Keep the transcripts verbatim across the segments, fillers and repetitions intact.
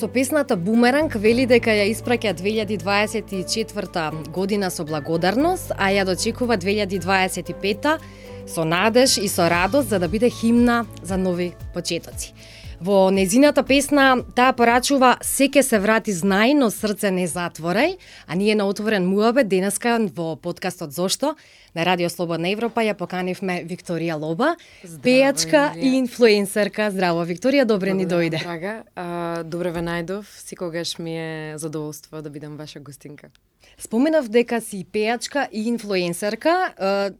Со песната Бумеранг вели дека ја испраќа две илјади дваесет и четврта година со благодарност, а ја дочекува две илјади дваесет и пета со надеж и со радост за да биде химна за нови почетоци. Во незината песна таа порачува "Секе се врати знај, но срце не затворај", а ние на Отворен муабет денеска во подкастот Зошто на Радио Слободна Европа ја поканивме Викторија Лоба, Здраво, пејачка Емилија. и инфлуенсерка. Здраво, Викторија, добре ни Благодарам, дојде. Драга, а, добре ве најдов, секогаш ми е задоволство да бидам ваша гостинка. Споменав дека си пејачка и инфлуенсерка. Е,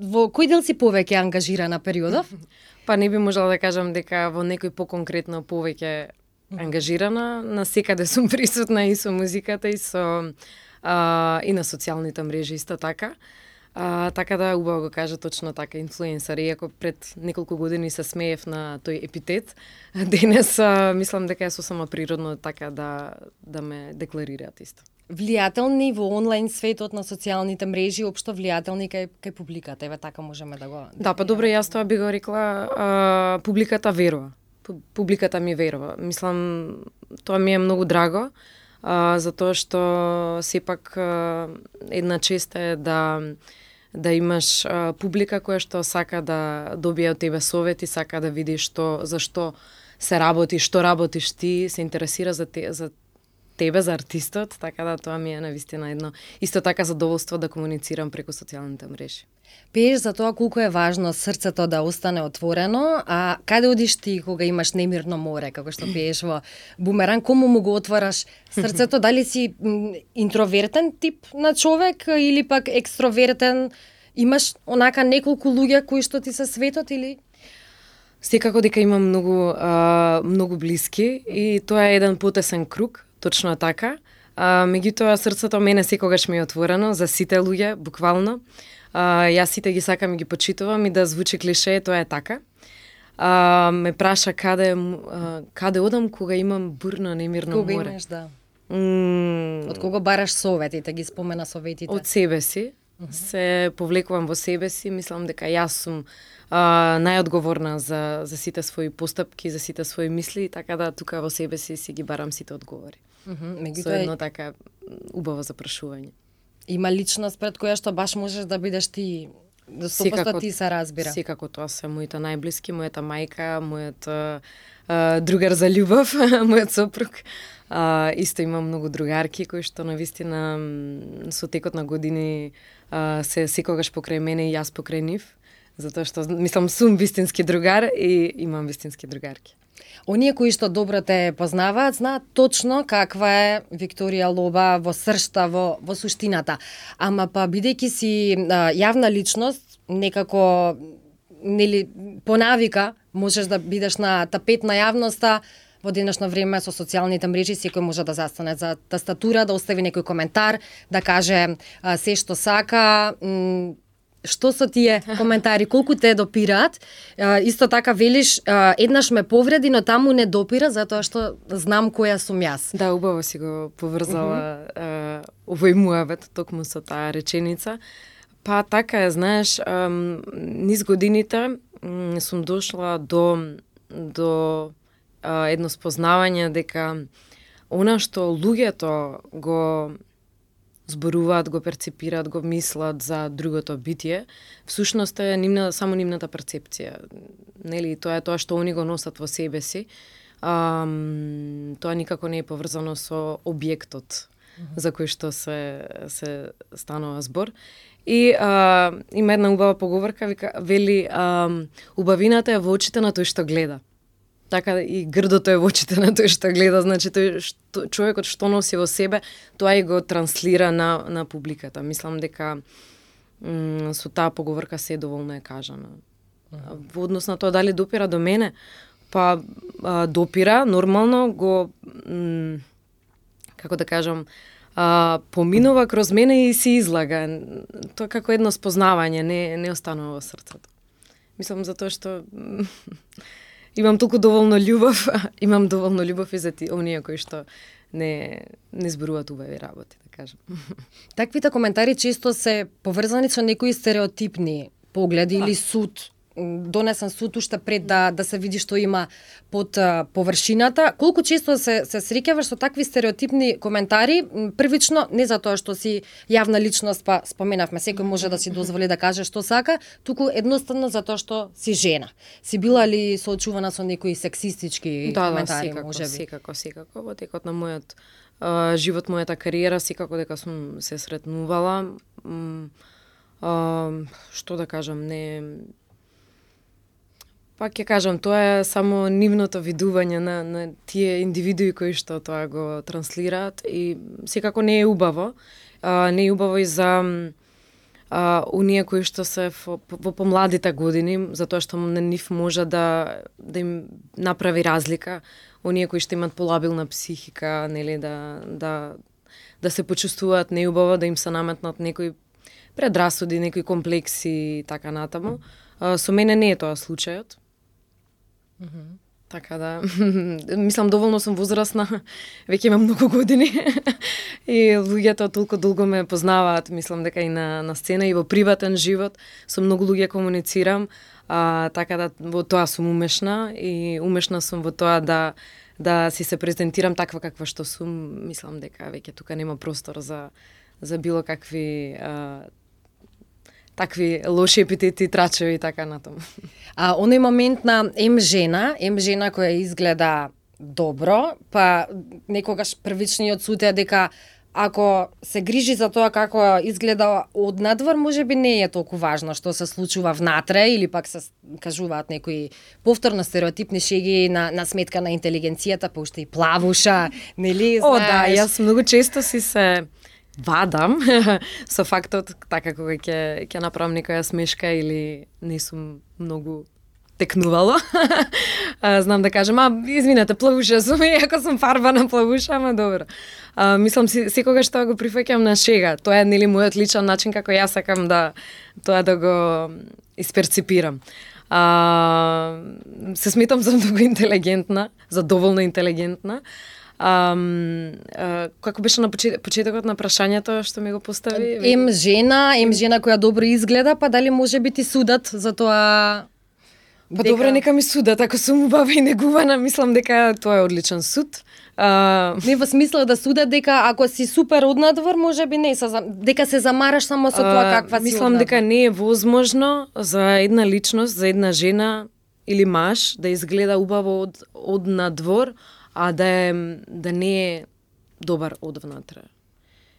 Во кој дел си повеќе ангажирана периодов? Па не би можела да кажам дека во некој поконкретно повеќе ангажирана, на секаде сум присутна и со музиката и со а, и на социјалните мрежи исто така. А, така да убаво го кажа точно така инфлуенсер, иако пред неколку години се смеев на тој епитет, денес а, мислам дека е сосема природно така да да ме декларираат исто. Влијателни во онлайн светот на социјалните мрежи, општо влијателни кај, кај публиката, еве така можеме да го... Да, па добро, јас тоа би го рекла, а, публиката верува. Пу- Публиката ми верува. Мислам, тоа ми е многу драго, а, затоа што сепак а, една чест е да да имаш а, публика која што сака да добие од тебе совети, сака да види што зашто се работи, што работиш ти, се интересира за те, за тебе, за артистот, така да тоа ми е навистина едно исто така задоволство да комуницирам преку социјалните мрежи. Пееш за тоа колку е важно срцето да остане отворено, а каде одиш ти кога имаш немирно море, како што пееш во Бумеранг, кому му го отвараш срцето? Дали си м, интровертен тип на човек или пак екстровертен? Имаш онака неколку луѓе кои што ти се светот или... Секако дека имам многу а, многу блиски и тоа е еден потесен круг, точно така. А, меѓутоа срцето мене секогаш ми е отворено за сите луѓе, буквално. А, јас сите ги сакам и ги почитувам и да звучи клише, тоа е така. А, ме праша каде м- а, каде одам кога имам бурно немирно Кога море. имаш, да. М, Од кого бараш советите, ги спомена советите? Од себе си, се повлекувам во себе си, мислам дека јас сум а, најодговорна за, за сите своји постапки, за сите своји мисли, така да тука во себе си си ги барам сите одговори. Мгм, Со меѓутоа едно така убаво запрашување. има личност пред која што баш можеш да бидеш ти, до сто Секако- проценти ти се разбира. Секако тоа се моите најблиски, мојата мајка, мојот а, а, другар за љубов, мојот сопруг. А, исто имам многу другарки кои што навистина м, со текот на години а, се секогаш покрај мене и јас покрај нив, затоа што мислам сум вистински другар и имам вистински другарки. Оние кои што добро те познаваат, знаат точно каква е Викторија Лоба во сршта, во, во суштината. Ама па бидејќи си а, јавна личност, некако нели по навика можеш да бидеш на тапет на јавноста. Во денешно време со социјалните мрежи секој може да застане за тастатура, да остави некој коментар, да каже а, се што сака. М, Што со тие коментари, колку те допираат? А, исто така велиш, а, еднаш ме повреди, но таму не допира, затоа што знам која сум јас. Да, убаво си го поврзала uh-huh. овој муавет, токму со таа реченица. Па така е, знаеш, ам, низ годините м, сум дошла до, до а, едно спознавање дека она што луѓето го зборуваат, го перцепираат, го мислат за другото битие, всушност е нивна, само нивната перцепција. Нели, тоа е тоа што они го носат во себе си. Ам, тоа никако не е поврзано со објектот mm-hmm. за кој што се, се станува збор. И а, има една убава поговорка, вика, вели, а, убавината е во очите на тој што гледа. Така и грдото е во очите на тој што гледа, значи тој што, човекот што носи во себе, тоа и го транслира на, на публиката. Мислам дека м, со таа поговорка се доволно е кажана. А, во однос на тоа дали допира до мене, па а, допира, нормално го, м, како да кажам, а, поминува кроз мене и се излага. Тоа како едно спознавање, не, не останува во срцето. Мислам затоа што имам толку доволно љубов, имам доволно љубов и за ти, оние кои што не не зборуваат убави работи, да кажам. Таквите коментари често се поврзани со некои стереотипни погледи Да. или суд донесен суд уште пред да да се види што има под а, површината. Колку често се се среќаваш со такви стереотипни коментари, првично не затоа што си јавна личност, па споменавме, секој може да си дозволи да каже што сака, туку едноставно затоа што си жена. Си била ли соочувана со некои сексистички да, коментари, да, секако, можеби? секако, секако, во текот на мојот а, живот, мојата кариера, секако дека сум се сретнувала. М, а, што да кажам, не... Пак ќе кажам, тоа е само нивното видување на, на тие индивидуи кои што тоа го транслираат и секако не е убаво. А, не е убаво и за а, уние кои што се во, во помладите години, затоа што на нив може да, да им направи разлика. Оние кои што имат полабилна психика, нели, да, да, да се почувствуваат неубаво, да им се наметнат некои предрасуди, некои комплекси и така натаму. А, со мене не е тоа случајот. Mm-hmm. Така да, мислам доволно сум возрастна, веќе имам многу години и луѓето толку долго ме познаваат, мислам дека и на, на сцена и во приватен живот со многу луѓе комуницирам, а, така да во тоа сум умешна и умешна сум во тоа да да си се презентирам таква каква што сум. Мислам дека веќе тука нема простор за за било какви а, такви лоши епитети, трачеви и така натаму. А оној момент на ем жена, ем жена која изгледа добро, па некогаш првичниот суд е дека ако се грижи за тоа како изгледа однадвор, можеби не е толку важно што се случува внатре, или пак се кажуваат некои повторно стереотипни шеги на, на сметка на интелигенцијата, па уште и плавуша, нели, знаеш? О, да, јас многу често си се вадам со фактот, така кога ќе ќе направам некоја смешка или не сум многу текнувало. Знам да кажам, а, извинете, плавуша сум, иако сум фарбана плавуша, ама добро. А, мислам, секогаш тоа го прифаќам на шега. Тоа е, нели, мојот личен начин како јас сакам да тоа да го исперципирам. А, се сметам за многу интелигентна, за доволно интелигентна. А, а, како беше на почет, почетокот на прашањето што ми го постави? Ем жена, ем жена која добро изгледа, па дали може би ти судат за тоа? Па дека... добро, нека ми судат, ако сум убава и негувана, мислам дека тоа е одличен суд. А... Не во смисла да судат дека ако си супер однадвор, можеби не се дека се замараш само со тоа каква си. Мислам дека не е возможно за една личност, за една жена или маж да изгледа убаво од однадвор, а да е, да не е добар од внатре.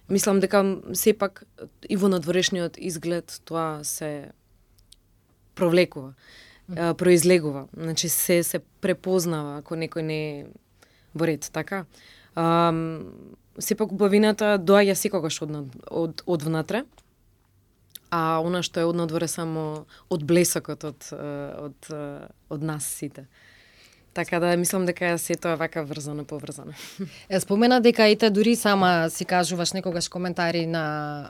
Мислам дека сепак и во надворешниот изглед тоа се провлекува, mm. произлегува. Значи се се препознава ако некој не е во ред, така. А, сепак убавината доаѓа секогаш од, од, од внатре, а она што е од надвор е само од блесокот од, од, од нас сите. Така да мислам дека се тоа вака врзано поврзано. Е, спомена дека ете дури сама си кажуваш некогаш коментари на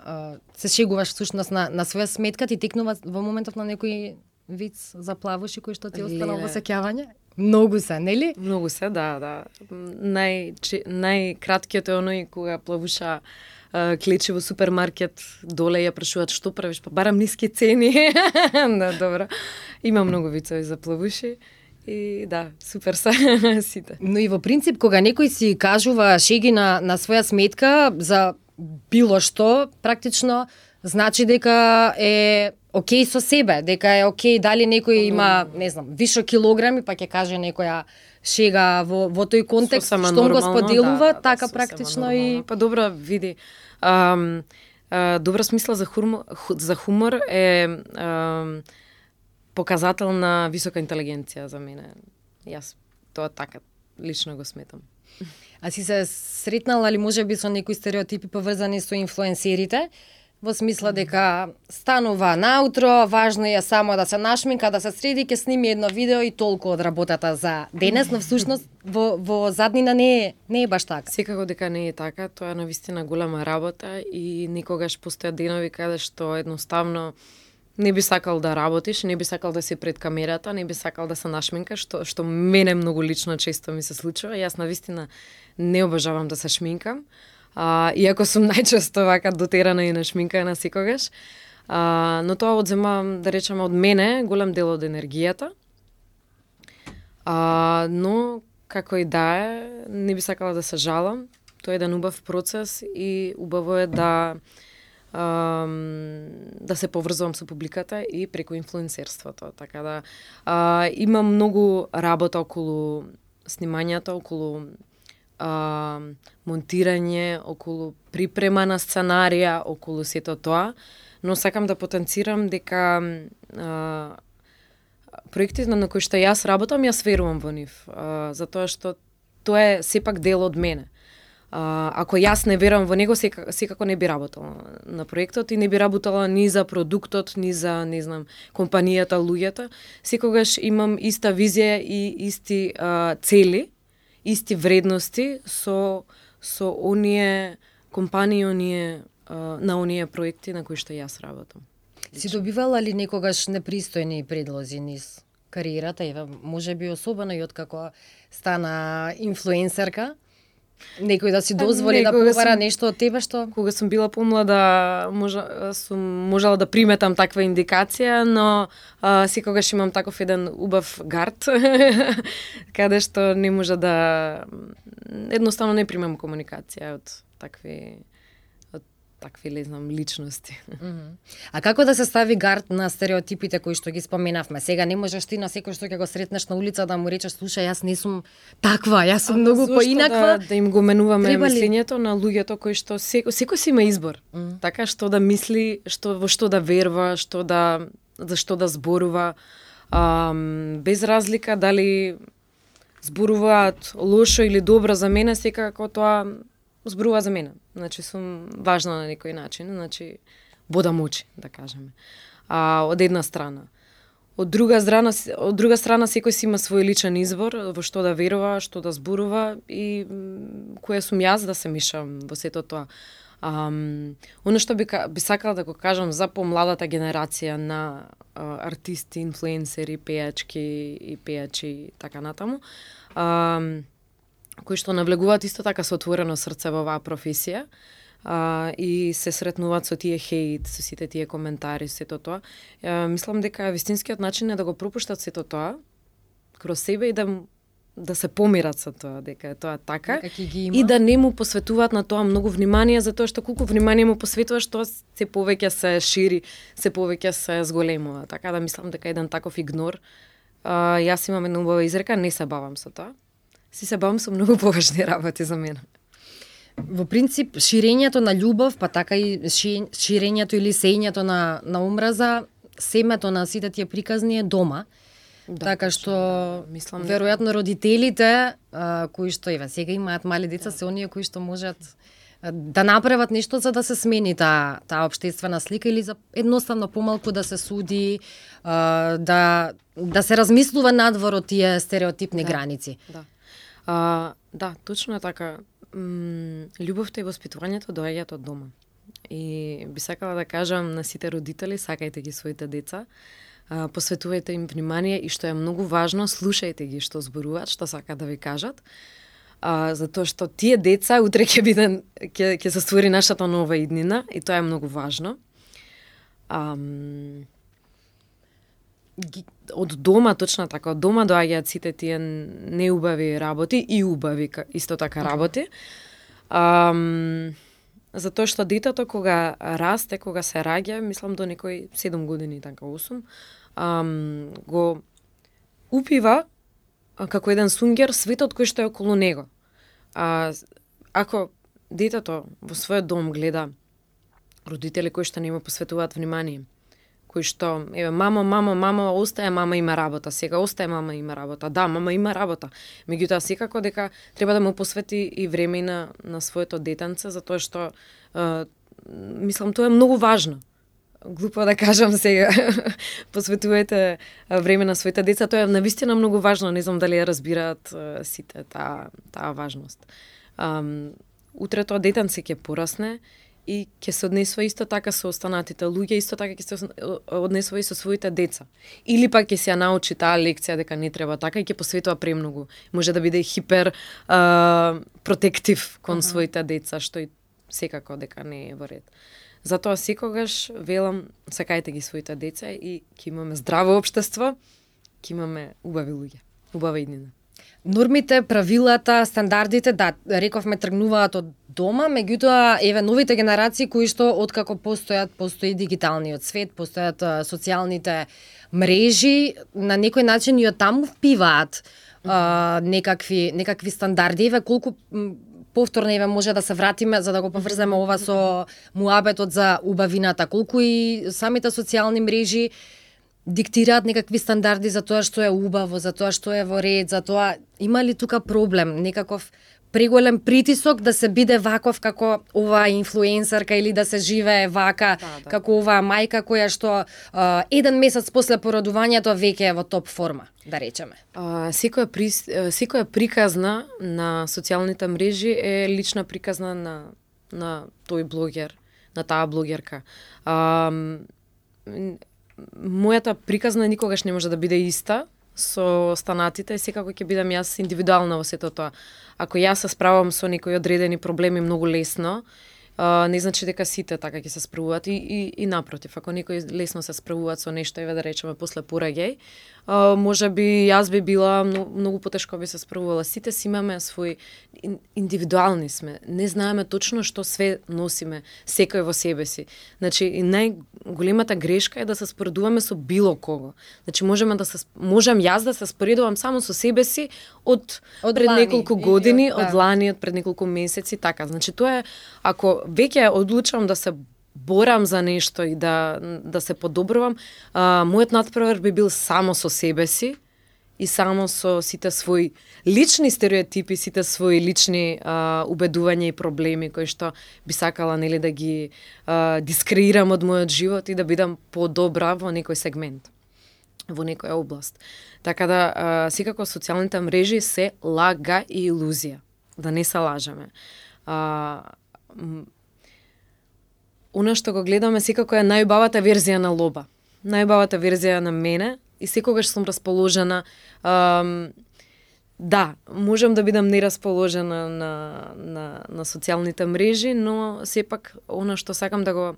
а, се шегуваш всушност на на своја сметка, ти текнува во моментов на некој виц за плавуши кој што ти останал во сеќавање? Многу се, нели? Многу се, да, да. Нај најкраткиот е оној кога плавуша Uh, клече во супермаркет, доле ја прашуваат што правиш, па барам ниски цени. Да, добро. Има многу вицови за плавуши. И да, супер се сите. Но и во принцип, кога некој си кажува шеги на, на своја сметка за било што, практично значи дека е окей со себе, дека е окей дали некој има, не знам, вишо килограми, па ќе каже некоја шега во, во тој контекст, што го споделува, да, така да, практично и... Па добро, види, ам, а, добра смисла за хумор, за хумор е ам, показател на висока интелигенција за мене. Јас тоа така лично го сметам. А си се сретнала ли можеби со некои стереотипи поврзани со инфлуенсерите? Во смисла дека станува наутро, важно е само да се нашминка, да се среди, ќе сними едно видео и толку од работата за денес, но всушност во, во заднина не е, не е баш така. Секако дека не е така, тоа е навистина голема работа и никогаш постојат денови каде што едноставно не би сакал да работиш, не би сакал да си пред камерата, не би сакал да се нашминкаш, што, што мене многу лично често ми се случува. Јас навистина не обожавам да се шминкам. А, иако сум најчесто вака дотерана и нашминкана секогаш. А, но тоа одзема, да речеме, од мене голем дел од енергијата. А, но како и да е, не би сакала да се жалам. Тоа е еден убав процес и убаво е да да се поврзувам со публиката и преку инфлуенсерството. Така да а, има многу работа околу снимањата, околу а, монтирање, околу припрема на сценарија, околу сето тоа, но сакам да потенцирам дека а, проектите на кои што јас работам, јас верувам во нив, а, затоа што тоа е сепак дел од мене. А, ако јас не верувам во него, сека, секако не би работала на проектот и не би работала ни за продуктот, ни за, не знам, компанијата, луѓето. Секогаш имам иста визија и исти а, цели, исти вредности со со оние компании, оние а, на оние проекти на кои што јас работам. Си добивала ли некогаш непристојни предлози низ кариерата, ева, можеби особено и откако стана инфлуенсерка? Некој да си дозволи да побара сум, нешто од тебе што? Кога сум била помлада, можа, сум можела да приметам таква индикација, но а, секогаш имам таков еден убав гард, каде што не може да... Едноставно не примам комуникација од такви... такви, не знам, личности. Mm-hmm. А како да се стави гард на стереотипите кои што ги споменавме? Сега не можеш ти на секој што ќе го сретнеш на улица да му речеш, слушај, јас не сум таква, јас сум а, многу поинаква. Да, да им го менуваме мислењето на луѓето кои што секој секој си има избор. Mm-hmm. Така што да мисли, што во што да верува, што да за што да зборува, ам, без разлика дали зборуваат лошо или добро за мене, секако тоа зборува за мене. Значи, сум важна на некој начин, значи, бодам очи, да кажеме. А, од една страна. Од друга страна, од друга страна секој си има свој личен избор во што да верува, што да зборува и која сум јас да се мишам во сето тоа. Um, оно што би, би сакала да го кажам за помладата генерација на uh, артисти, инфлуенсери, пејачки и пејачи и така натаму, um, кои што навлегуваат исто така со отворено срце во оваа професија а, и се сретнуваат со тие хејт, со сите тие коментари, сето тоа. А, мислам дека вистинскиот начин е да го пропуштат сето тоа кроз себе и да да се помират со тоа, дека е тоа така и да не му посветуваат на тоа многу внимание, затоа што колку внимание му посветуваш, тоа се повеќе се шири, се повеќе се зголемува. Така да мислам дека еден таков игнор, а, јас имам една убава изрека, не се бавам со тоа. Си се бавам со многу поважни работи за мене. Во принцип, ширењето на љубов, па така и ширењето или сејњето на, на омраза, семето на сите тие приказни е дома. Да, така што, мислам, веројатно родителите, а, кои што еве сега имаат мали деца, да, се оние кои што можат да направат нешто за да се смени таа таа општествена слика или за едноставно помалку да се суди, а, да да се размислува надвор од тие стереотипни да, граници. Да. А, да, точно е така. М, љубовта и воспитувањето доаѓаат од дома. И би сакала да кажам на сите родители, сакајте ги своите деца, а, посветувајте им внимание и што е многу важно, слушајте ги што зборуваат, што сакаат да ви кажат. А, затоа што тие деца утре ќе бидат ќе ќе се створи нашата нова иднина и тоа е многу важно. Ам, од дома, точно така, од дома доаѓаат сите тие неубави работи и убави исто така работи. Ам, затоа што детето кога расте, кога се раѓа, мислам до некои седум години, така осум, ам, го упива како еден сунгер светот кој што е околу него. А, ако детето во својот дом гледа родители кои што не му посветуваат внимание, кои што, еве, мамо, мамо, мамо, остае, мама има работа, сега остае, мама има работа, да, мама има работа. Меѓутоа, секако дека треба да му посвети и време на, на своето детенце, затоа што, е, мислам, тоа е многу важно. Глупо да кажам сега, посветувајте време на своите деца, тоа е навистина многу важно, не знам дали ја разбираат е, сите таа, таа важност. Um, утре тоа детенце ќе порасне, и ќе се однесува исто така со останатите луѓе, исто така ќе се однесува и со своите деца. Или пак ќе се ја научи таа лекција дека не треба така и ќе посветува премногу. Може да биде хипер а, протектив кон uh -huh. своите деца, што и секако дека не е во ред. Затоа секогаш велам, сакајте ги своите деца и ќе имаме здраво општество, ќе имаме убави луѓе, убава иднина. Нормите, правилата, стандардите, да, рековме тргнуваат од дома, меѓутоа еве новите генерации кои што откако постојат, постои дигиталниот свет, постојат а, социјалните мрежи, на некој начин и од таму впиваат а, некакви некакви стандарди. Еве колку повторно еве може да се вратиме за да го поврземе ова со муабетот за убавината, колку и самите социјални мрежи диктираат некакви стандарди за тоа што е убаво, за тоа што е во ред, за тоа има ли тука проблем, некаков преголем притисок да се биде ваков како оваа инфлуенсерка или да се живее вака да, да. како оваа мајка која што а, еден месец после породувањето веќе е во топ форма, да речеме. А, секоја при, секоја приказна на социјалните мрежи е лична приказна на на тој блогер, на таа блогерка. А, мојата приказна никогаш не може да биде иста со останатите, секако ќе бидам јас индивидуална во сето тоа. Ако јас се справам со некои одредени проблеми многу лесно, а, не значи дека сите така ќе се справуваат и, и, и напротив, ако некои лесно се справуваат со нешто, еве да речеме после пораѓај, а, може би јас би била многу, многу потешко би се справувала. Сите си имаме свој индивидуални сме. Не знаеме точно што све носиме секој во себе си. Значи и најголемата грешка е да се споредуваме со било кого. Значи можеме да се можам јас да се споредувам само со себе си од, од пред лани, неколку години, од, од лани, од пред неколку месеци, така. Значи тоа е ако веќе одлучам да се борам за нешто и да да се подобрувам, а, мојот натпревар би бил само со себе си и само со сите своји лични стереотипи, сите своји лични а, убедувања и проблеми кои што би сакала нели да ги а, дискреирам од мојот живот и да бидам подобра во некој сегмент, во некоја област. Така да а, секако социјалните мрежи се лага и илузија, да не се лажеме. А, Она што го гледаме секако е најубавата верзија на Лоба. Најубавата верзија на мене и секогаш сум расположена. Ам, да, можам да бидам нерасположена на, на, на социјалните мрежи, но сепак она што сакам да го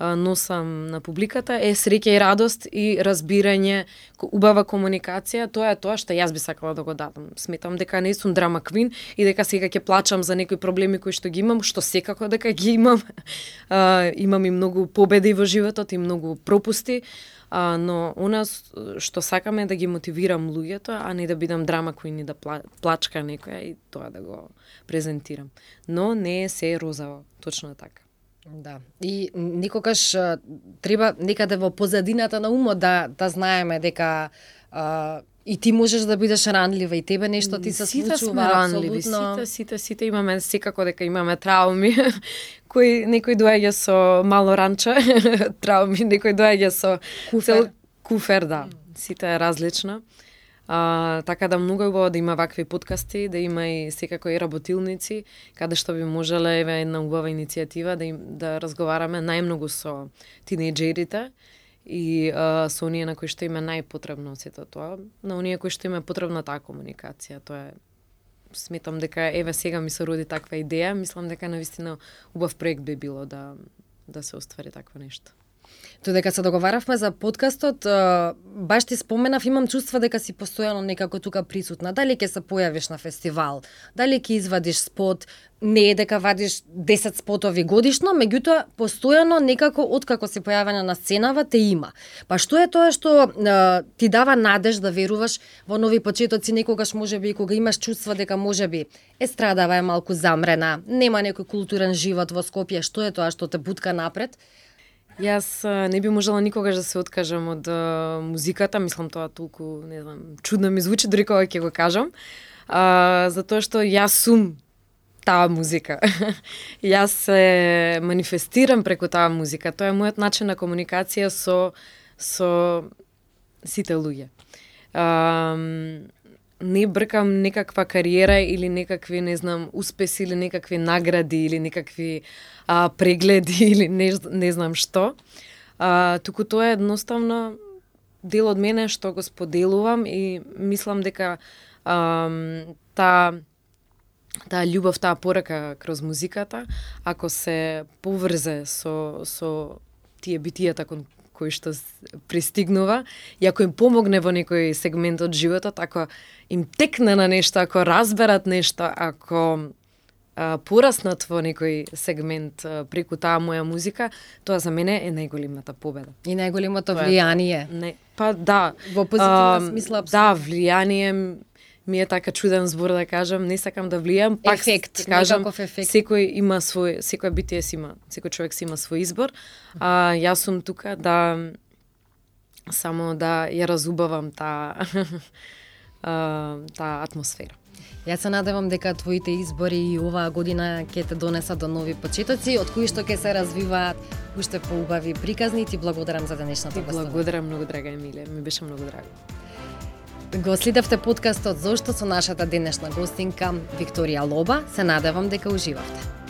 а, носам на публиката е среќа и радост и разбирање, убава комуникација. Тоа е тоа што јас би сакала да го дадам. Сметам дека не сум драма квин и дека сега ќе плачам за некои проблеми кои што ги имам, што секако дека ги имам. А, имам и многу победи во животот и многу пропусти, а, но она што сакам е да ги мотивирам луѓето, а не да бидам драма квин и да плачка некоја и тоа да го презентирам. Но не е се розово, точно така. Да. И никогаш треба некаде во позадината на умот да да знаеме дека а, и ти можеш да бидеш ранлива и тебе нешто ти се случува. Сите сме ранливи, сите, сите, сите имаме секако дека имаме трауми. Кој некој доаѓа со мало ранче, трауми, некој доаѓа со куфер, куфер, да. Сите е различно. А, така да многу е убаво да има вакви подкасти, да има и секако и работилници, каде што би можеле еве една убава иницијатива да им да разговараме најмногу со тинејџерите и а, со оние на кои што им е најпотребно сето тоа, на оние кои што им е потребна таа комуникација. Тоа е, сметам дека еве сега ми се роди таква идеја, мислам дека навистина убав проект би било да да се оствари такво нешто. Додека се договаравме за подкастот, баш ти споменав, имам чувство дека си постојано некако тука присутна. Дали ќе се појавиш на фестивал, дали ќе извадиш спот, не е дека вадиш десет спотови годишно, меѓутоа постојано некако откако си појавена на сценава те има. Па што е тоа што а, ти дава надеж да веруваш во нови почетоци, некогаш можеби и кога имаш чувство дека можеби естрадава е малку замрена, нема некој културен живот во Скопје, што е тоа што те бутка напред? Јас не би можела никогаш да се откажам од а, музиката, мислам тоа толку, не знам, чудно ми звучи дори кога ќе го кажам, а, затоа што јас сум таа музика. Јас се манифестирам преку таа музика. Тоа е мојот начин на комуникација со со сите луѓе. А, не бркам некаква кариера или некакви, не знам, успеси или некакви награди или некакви а, прегледи или не, не знам што. А, туку тоа е едноставно дел од мене што го споделувам и мислам дека а, та таа љубов, таа порака кроз музиката, ако се поврзе со со тие битијата кон кои што пристигнува, и ако им помогне во некој сегмент од животот, ако им текне на нешто, ако разберат нешто, ако а, пораснат во некој сегмент а, преку таа моја музика, тоа за мене е најголемата победа. И најголемото влијание. Не, па да. Во позитивна смисла, апсолутно. Да, влијание ми е така чуден збор да кажам, не сакам да влијам, пак ефект, кажам, ефект. Секој има свој, секој битие си има, секој човек си има свој избор, а јас сум тука да само да ја разубавам таа таа атмосфера. Јас се надевам дека твоите избори и оваа година ќе те донесат до нови почетоци, од кои што ќе се развиваат уште поубави приказни. Ти благодарам за денешната гостина. Благодарам многу, драга Емилија, ми беше многу драго. Го следевте подкастот Зошто со нашата денешна гостинка Викторија Лоба. Се надевам дека уживавте.